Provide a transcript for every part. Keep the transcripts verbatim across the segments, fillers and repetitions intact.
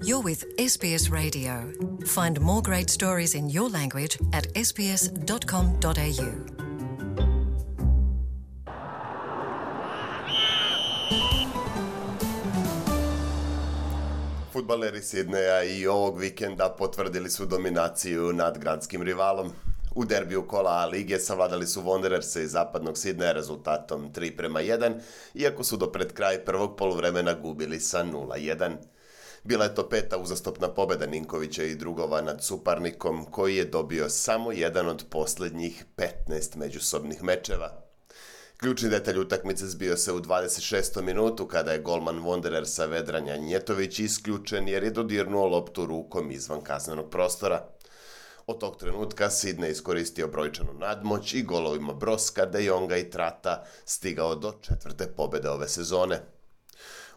You're with S B S Radio. Find more great stories in your language at s b s dot com dot a u. Fudbaleri Sidneja i ovog vikenda potvrdili su dominaciju nad gradskim rivalom. U derbiju kola A lige savladali su Wandererse iz zapadnog Sidneja rezultatom tri prema jedan, iako su do pred kraj prvog poluvremena gubili sa nula jedan. Bila je to peta uzastopna pobjeda Ninkovića i drugova nad suparnikom, koji je dobio samo jedan od posljednjih petnaest međusobnih mečeva. Ključni detalj utakmice zbio se u dvadeset šestom minutu kada je golman Wanderersa Vedrana Njetović isključen jer je dodirnuo loptu rukom izvan kaznenog prostora. Od tog trenutka Sidney iskoristio brojčanu nadmoć i golovima Broska, De Jonga i Trata stigao do četvrte pobjede ove sezone.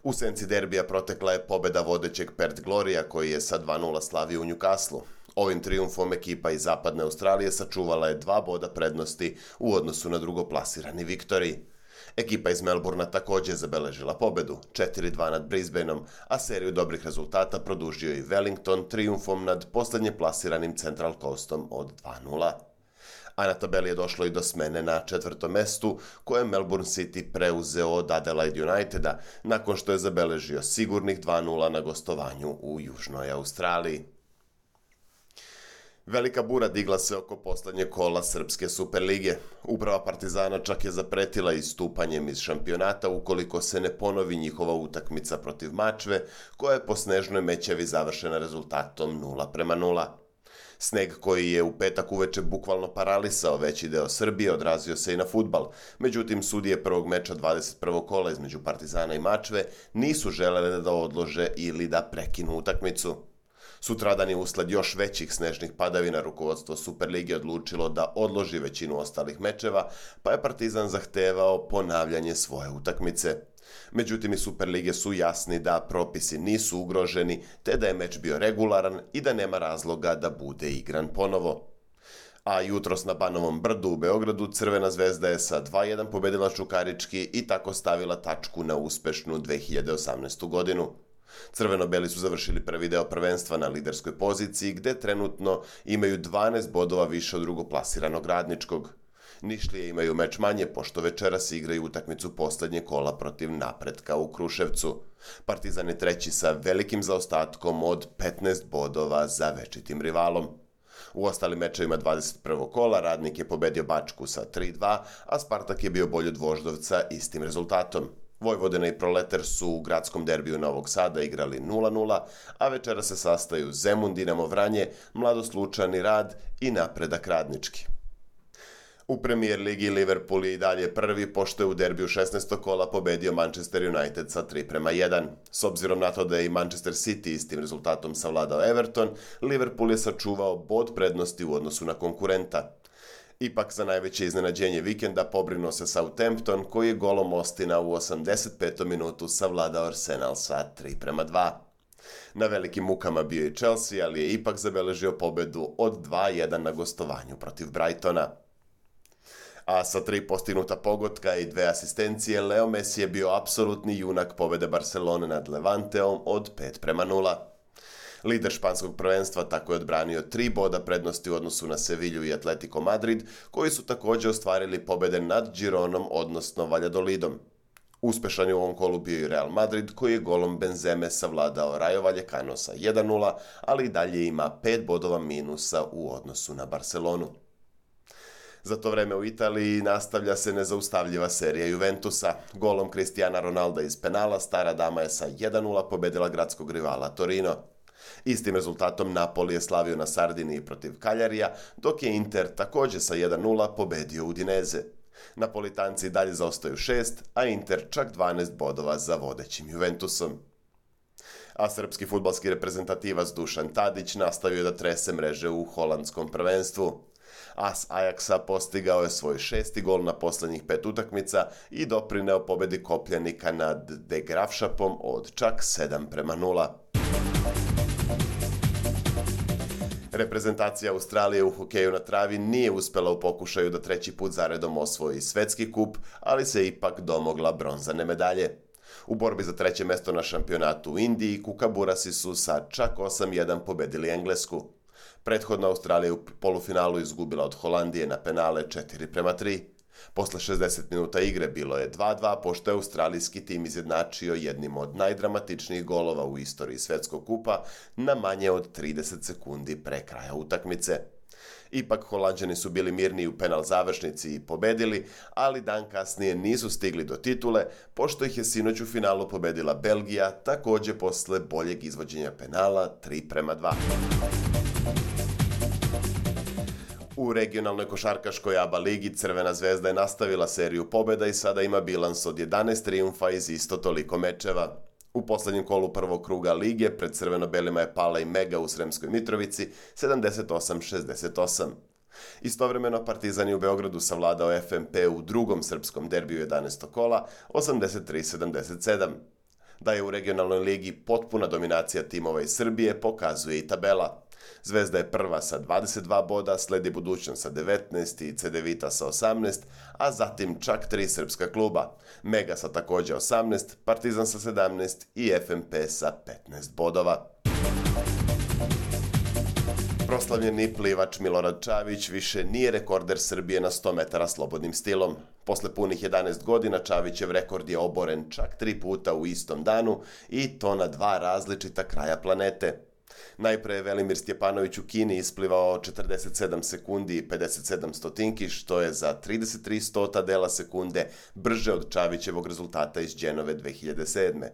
U senci derbija protekla je pobjeda vodećeg Perth Gloria koji je sa dva nula slavio u Newcastlu. Ovim trijumfom ekipa iz zapadne Australije sačuvala je dva boda prednosti u odnosu na drugoplasirani Victory. Ekipa iz Melbourna također zabeležila pobjedu, četiri dva nad Brisbaneom, a seriju dobrih rezultata produžio i Wellington trijumfom nad posljednje plasiranim Central Coastom od dva nula. A na tabeli je došlo i do smene na četvrtom mestu, koje je Melbourne City preuzeo od Adelaide Uniteda, nakon što je zabeležio sigurnih dva nula na gostovanju u Južnoj Australiji. Velika bura digla se oko posljednje kola Srpske Superlige. Uprava Partizana čak je zapretila istupanjem iz šampionata ukoliko se ne ponovi njihova utakmica protiv Mačve, koja je po snežnoj mećevi završena rezultatom nula prema nula. Sneg koji je u petak uveče bukvalno paralisao veći deo Srbije odrazio se i na fudbal, međutim sudije prvog meča dvadeset prvog kola između Partizana i Mačve nisu želele da odlože ili da prekinu utakmicu. Sutradan je usled još većih snežnih padavina rukovodstvo Superlige odlučilo da odloži većinu ostalih mečeva, pa je Partizan zahtevao ponavljanje svoje utakmice. Međutim i Superlige su jasni da propisi nisu ugroženi, te da je meč bio regularan i da nema razloga da bude igran ponovo. A jutros na Banovom brdu u Beogradu Crvena zvezda je sa dva jedan pobedila Čukarički i tako stavila tačku na uspešnu dve hiljade osamnaestu godinu. Crveno-beli su završili prvi deo prvenstva na liderskoj poziciji, gde trenutno imaju dvanaest bodova više od drugoplasiranog Radničkog. Nišlije imaju meč manje, pošto večeras igraju utakmicu posljednje kola protiv Napretka u Kruševcu. Partizan je treći sa velikim zaostatkom od petnaest bodova za večitim rivalom. U ostalim mečevima dvadeset prvog kola Radnik je pobedio Bačku sa tri dva, a Spartak je bio bolji od Voždovca istim rezultatom. Vojvodina i Proletar su u gradskom derbiju Novog Sada igrali nula nula, a večera se sastaju Zemun, Dinamo Vranje, Mladost Lučani, Rad i Napredak Radnički. U Premier ligi Liverpool je i dalje prvi, pošto je u derbiju šesnaestog kola pobedio Manchester United sa tri prema jedan. S obzirom na to da je i Manchester City istim rezultatom savladao Everton, Liverpool je sačuvao bod prednosti u odnosu na konkurenta. Ipak za najveće iznenađenje vikenda pobrinuo se Southampton, koji je golom Ostina u osamdeset petom minutu savladao Arsenal sa tri prema dva. Na velikim mukama bio i Chelsea, ali je ipak zabeležio pobedu od dva jedan na gostovanju protiv Brightona. A sa tri postignuta pogotka i dve asistencije, Leo Messi je bio apsolutni junak pobede Barcelone nad Levanteom od pet prema nula. Lider španskog prvenstva tako je odbranio tri boda prednosti u odnosu na Sevilju i Atletico Madrid, koji su također ostvarili pobjede nad Gironom, odnosno Valladolidom. Uspešan je u ovom kolu bio i Real Madrid, koji je golom Benzeme savladao Rayo Vallecano sa jedan nula, ali i dalje ima pet bodova minusa u odnosu na Barcelonu. Za to vreme u Italiji nastavlja se nezaustavljiva serija Juventusa. Golom Cristiana Ronalda iz penala stara dama je sa jedan nula pobedila gradskog rivala Torino. Istim rezultatom Napoli je slavio na Sardiniji protiv Kaljarija, dok je Inter također sa jedan nula pobedio Udineze. Napolitanci dalje zaostaju šest, a Inter čak dvanaest bodova za vodećim Juventusom. A srpski fudbalski reprezentativac Dušan Tadić nastavio da trese mreže u holandskom prvenstvu. As Ajaxa postigao je svoj šesti gol na posljednjih pet utakmica i doprineo pobedi Kopljanika nad De Graafschapom od čak sedam prema nula. Reprezentacija Australije u hokeju na travi nije uspela u pokušaju da treći put zaredom osvoji svetski kup, ali se ipak domogla bronzane medalje. U borbi za treće mesto na šampionatu u Indiji, Kukaburasi su sa čak osam jedan pobedili Englesku. Prethodno Australija u polufinalu izgubila od Holandije na penale četiri prema tri. Posle šezdeset minuta igre bilo je dva dva, pošto je australijski tim izjednačio jednim od najdramatičnijih golova u istoriji svetskog kupa na manje od trideset sekundi pre kraja utakmice. Ipak Holanđani su bili mirniji u penal završnici i pobedili, ali dan kasnije nisu stigli do titule, pošto ih je sinoć u finalu pobedila Belgija, takođe posle boljeg izvođenja penala tri prema dva. U regionalnoj košarkaškoj A B A ligi Crvena zvezda je nastavila seriju pobjeda i sada ima bilans od jedanaest trijumfa iz isto toliko mečeva. U poslednjem kolu prvog kruga lige pred crveno-belima je pala i Mega u Sremskoj Mitrovici sedamdeset osam šezdeset osam. Istovremeno Partizan je u Beogradu savladao F M P u drugom srpskom derbiju jedanaestog kola osamdeset tri sedamdeset sedam. Da je u regionalnoj ligi potpuna dominacija timova iz Srbije pokazuje i tabela. Zvezda je prva sa dvadeset dva boda, sledi Budućnost sa devetnaest i Cedevita sa osamnaest, a zatim čak tri srpska kluba. Mega sa takođe osamnaest, Partizan sa sedamnaest i F M P sa petnaest bodova. Proslavljeni plivač Milorad Čavić više nije rekorder Srbije na sto metara slobodnim stilom. Posle punih jedanaest godina Čavićev rekord je oboren čak tri puta u istom danu i to na dva različita kraja planete. Najpre je Velimir Stjepanović u Kini isplivao četrdeset sedam sekundi i pedeset sedam stotinki, što je za trideset tri stota dela sekunde brže od Čavićevog rezultata iz Dženove dve hiljade sedme.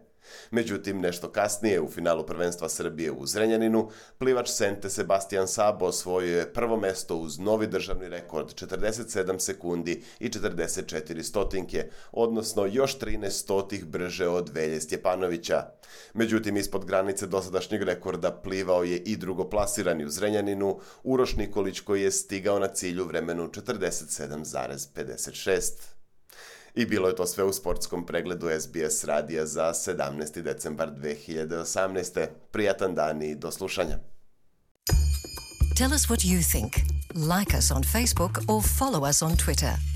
Međutim, nešto kasnije, u finalu prvenstva Srbije u Zrenjaninu, plivač Sente Sebastian Sabo osvojio je prvo mesto uz novi državni rekord četrdeset sedam sekundi i četrdeset četiri stotinke, odnosno još trinaest stotih brže od Velje Stjepanovića. Međutim, ispod granice dosadašnjeg rekorda plivao je i drugoplasirani u Zrenjaninu, Uroš Nikolić, koji je stigao na cilj u vremenu četrdeset sedam zarez pedeset šest. I bilo je to sve u sportskom pregledu S B S radija za sedamnaesti decembar dve hiljade osamnaeste. Prijatan dan i do slušanja. Tell us what you think. Like us on Facebook or follow us on Twitter.